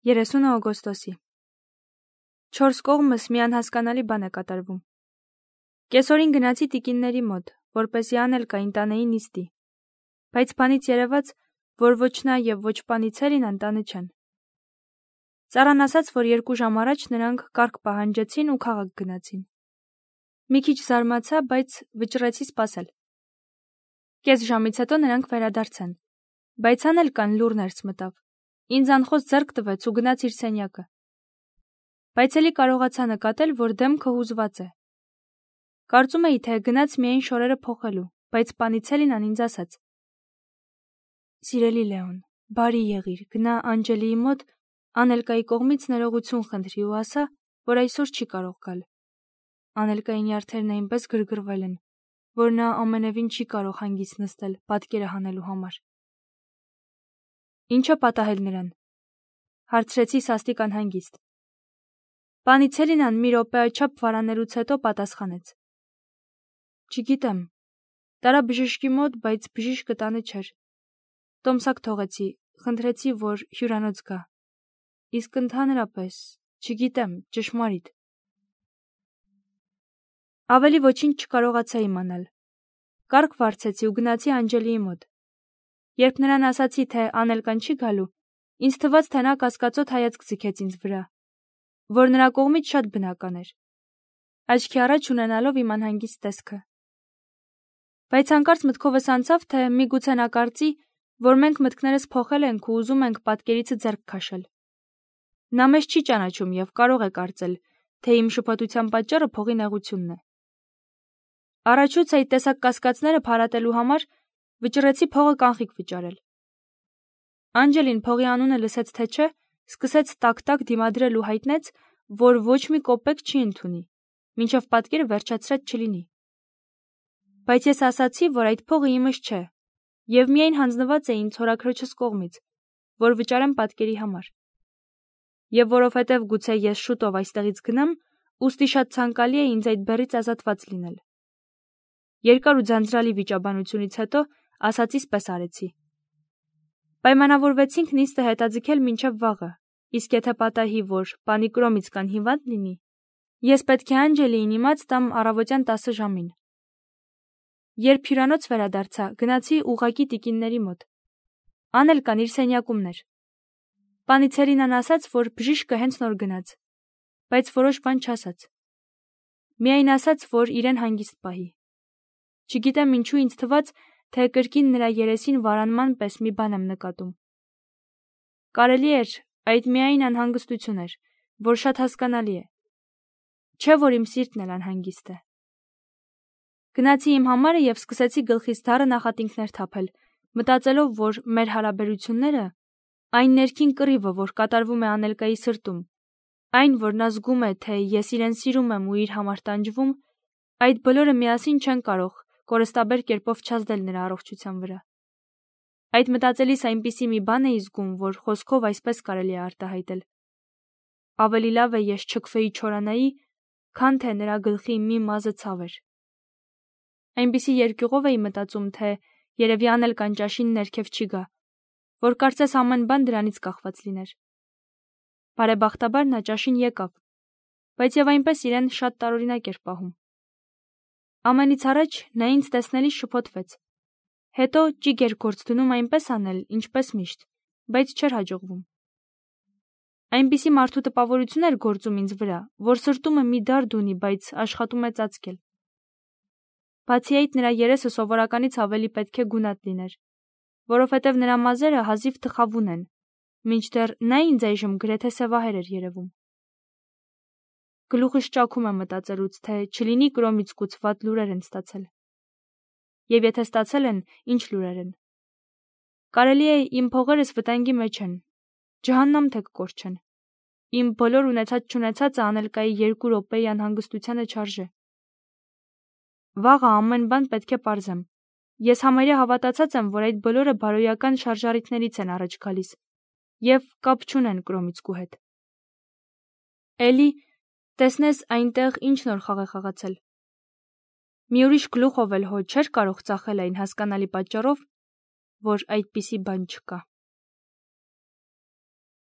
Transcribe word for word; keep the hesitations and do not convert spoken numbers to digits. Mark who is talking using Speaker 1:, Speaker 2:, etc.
Speaker 1: երեսունը օգոստոսի։ Չորս կողմս մի անհասկանալի բան է կատարվում։ Կեսօրին գնացի տիկինների մոտ, որպեսզի Անելկային տանեի նիստի, բայց բանից երևաց, որ ոչ նա եւ ոչ պանիցելին ընտանը չեն։ Ծառան ասաց, որ երկու ժամ առաջ նրանք կարգ պահանջեցին ու քաղաք գնացին։ Մի քիչ զարմացա, բայց վճռեցի սպասել։ Կես ժամից հետո նրանք վերադարձան, բայց Անելկան լուռ ներս մտավ։ Ինձ անխոս ձեռք տվեց ու գնաց իր սենյակը։ Բայց էլի կարողացա նկատել, որ դեմքը հուզված է։ Կարծում էի, թե գնաց միայն շորերը փոխելու, բայց պանիցելին ինձ ասաց. «Սիրելի Լեոն, բարի եղիր, գնա Անջելիի մոտ, Անելկայի կողմից ներողություն խնդրի ու ասա, որ այսօր չի կարող գալ։ Անելկայի նյարդերն այնպես գրգռվել են, որ նա ամենևին չի կարող հանգիստ նստել պատկերը հանելու համար»։ Ինչը պատահել նրան, հարցրեցի սաստիկ անհանգիստ։ Պանիցելինան մի րոպե այդչափ վարանելուց հետո պատասխանեց. Չգիտեմ, տարա բժշկի մոտ, բայց բժիշկը տանը չէր։ Տոմսակ թողեցի, խնդրեցի, որ հյուրանոց գա։ Իսկ ընդհանրապես, չգիտեմ, ճշմարիտ։ Ավելի ոչինչ չկարողացա իմանալ։ Կարգ վարձեցի ու գնացի Անջելիի մոտ։ Երբ նրան ասացի, թե Անելկան չի գալու, ինձ թվաց, թե նա կասկածոտ հայացք ձգեց ինձ վրա, որ նրա կողմից շատ բնական էր, աչքի առաջ ունենալով իմ անհանգիստ տեսքը։ Բայց հանկարծ մտքովս անցավ, թե միգուցե նա կարծի, որ մենք մտքներս փոխել ենք ու ուզում ենք պատկերիցը ձեռք քաշել։ Նա մեզ չի ճանաչում եւ կարող է կարծել, թե իմ շփոթության պատճառը փողի նեղությունն է։ Առաջուց այդ տեսակ կասկածները փարատելու համար վճռեցի փողը կանխիկ վճարել։ Անջելին փողի անունը լսեց թե չէ, սկսեց տակ-տակ դիմադրել ու հայտնեց, որ ոչ մի կոպեկ չի ընդունի, մինչև պատկերը վերջացրած չլինի։ Բայց ես ասացի, որ այդ փողը իմս չէ, եւ միայն հանձնված է ինձ հորաքրոջս կողմից, որ վճարեմ պատկերի համար։ Եվ որովհետև գուցե ես շուտով այստեղից գնամ, ուստի շատ ցանկալի է ինձ այդ բեռից ազատված լինել։ Երկար ու ձանձրալի վիճաբանությունից հետո ասածիս պես արեցի։ Պայմանավորվեցինք նիստը հետաձգել մինչև վաղը, իսկ եթե պատահի, որ պանի Կրոմից կան հիվանդ լինի, ես պետք է Անջելիին իմաց տամ առավոտյան տասը ժամին։ Երբ հյուրանոց վերադարձա, գնացի ուղղակի տիկինների մոտ։ Անելկան իր սենյակումն էր։ Պանիցելինան ասաց, որ բժիշկը հենց նոր գնաց, բայց որոշ բան չասաց։ Միայն ասաց, որ իրեն հանգիստ պահի։ Չգիտեմ ինչու ինձ թվաց, թե կրկին նրա երեսին վարանման պես մի բան եմ նկատում։ Կարելի էր, այդ միայն անհանգստություն էր, որ շատ հասկանալի է։ Չէ՞ որ իմ սիրտն էլ անհանգիստ է։ Գնացի իմ համարը եւ սկսեցի գլխիս դառը նախատինքներ թափել, մտածելով, որ մեր հարաբերությունները, այն ներքին կռիվը, որ կատարվում է Անելկայի սրտում, այն, որ նա զգում է, թե ես իրեն սիրում եմ ու իր համար տանջվում, այդ բոլորը միասին չեն կարող կորստաբեր կերպով չազդել նրա առողջության վրա։ Այդ մտածելիս այնպիսի մի բան էի զգում, որ խոսքով այսպես կարելի է արտահայտել։ Ավելի լավ է ես չքվեի չորանայի, քան թե նրա գլխի մի մազը ցավեր։ Այնպիսի երկյուղով էի մտածում, թե երևի Անելկան ճաշին ներքև չի գա, որ կարծես ամեն բան դրանից կախված լիներ։ Բարեբախտաբար նա ճաշին եկավ, բայց եւ այնպես իրեն շատ տարօրինակ էր պահում։ Ամենից առաջ նա ինձ տեսնելիս շփոթվեց։ Հետո ճիգ էր գործ դնում այնպես անել, ինչպես միշտ, բայց չէր հաջողվում։ Այնպիսի մարդու տպավորություն էր գործում ինձ վրա, որ սրտումը մի դարդ ունի, բայց աշխատում է ծածկել։ Բացի այդ, նրա երեսը սովորականից ավելի պետք է գունատ լիներ, որովհետև նրա մազերը հազիվ թխավուն են, մինչդեռ նա ինձ այժմ գրեթե սևահեր էր երևում։ Գլուխս ճաքում է մտածելուց, թե չլինի Կրոմից կուծված լուրեր են ստացել։ Եվ եթե ստացել են, ինչ լուրեր են։ Կարելի է իմ փողերս վտանգի մեջ են, ջհաննամ թե կկորչեն։ Իմ բոլոր ունեցած-չունեցածը Անելկայի երկու րոպեի անհանգստությանը չարժե։ Վաղը ամեն բան պետք է պարզեմ։ Ես համարյա հավատացած եմ, որ այդ բոլորը բարոյական շարժառիթներից են առաջ գալիս եւ կապ չունեն Կրոմիցկու հետ։ Էլի, տեսնես այնտեղ ինչ նոր խաղ է խաղացել։ Մի ուրիշ գլուխով էլ հո չէր կարող ծախել այն հասկանալի պատճառով, որ այդպիսի բան չկա։